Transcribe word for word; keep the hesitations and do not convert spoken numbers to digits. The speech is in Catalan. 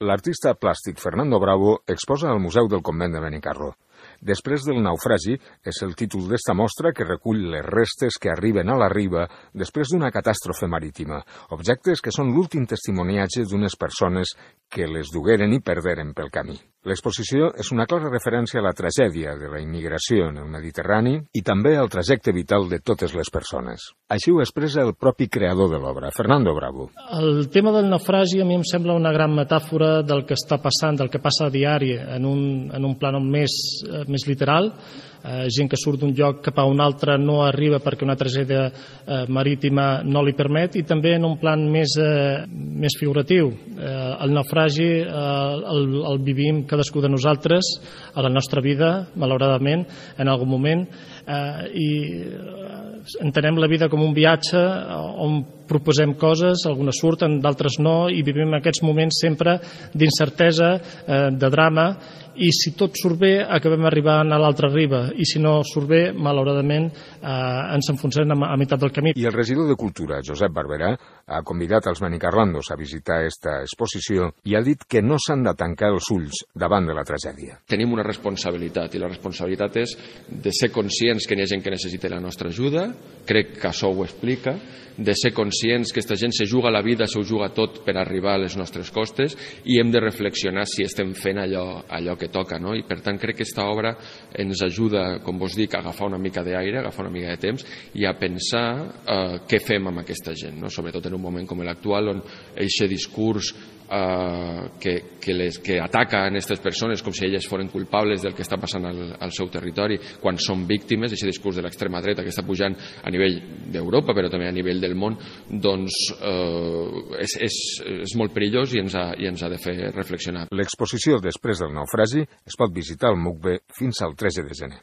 L'artista plàstic Fernando Bravo exposa al Museu del Convent de Benicarló. Després del naufragi és el títol d'esta mostra que recull les restes que arriben a la riba després d'una catàstrofe marítima, objectes que són l'últim testimoniatge d'unes persones que les dugueren i perderen pel camí. L'exposició és una clara referència a la tragèdia de la immigració en el Mediterrani i també al trajecte vital de totes les persones. Així ho expressa el propi creador de l'obra, Fernando Bravo. El tema del naufragi a mi em sembla una gran metàfora del que està passant, del que passa a diari, en un, en un plànol més, més literal. Eh, gent que surt d'un lloc cap a un altre no arriba perquè una tragèdia eh, marítima no li permet, i també en un plan més, eh, més figuratiu. Eh, el naufragi eh, el, el vivim cadascú de nosaltres a la nostra vida, malauradament, en algun moment, eh, i entenem la vida com un viatge on proposem coses, algunes surten, d'altres no, i vivim aquests moments sempre d'incertesa, eh, de drama, i si tot surt bé acabem arribant a l'altra riba, i si no surt bé, malauradament eh, ens enfonsem a, a meitat del camí. I el regidor de Cultura, Josep Barberà, ha convidat els benicarlandos a visitar esta exposició i ha dit que no s'han de tancar els ulls davant de la tragèdia. Tenim una responsabilitat, i la responsabilitat és de ser conscients que hi ha gent que necessita la nostra ajuda, crec que això ho explica, de ser conscients que aquesta gent se juga la vida, se ho juga tot per arribar a les nostres costes, i hem de reflexionar si estem fent allò, allò que toca, no? I per tant crec que aquesta obra ens ajuda, com vos dic, a agafar una mica d'aire, a agafar una mica de temps i a pensar eh, què fem amb aquesta gent, no? Sobretot en un moment com l'actual, on aquest discurs eh, que, que, les, que ataca a aquestes persones com si elles foren culpables del que està passant al, al seu territori, quan són víctimes, aquest discurs de l'extrema dreta que està pujant a nivell d'Europa, però també a nivell del món, doncs eh, és, és, és molt perillós i ens, ha, i ens ha de fer reflexionar. L'exposició després del naufragi es pot visitar al M U C B fins al tretze de gener.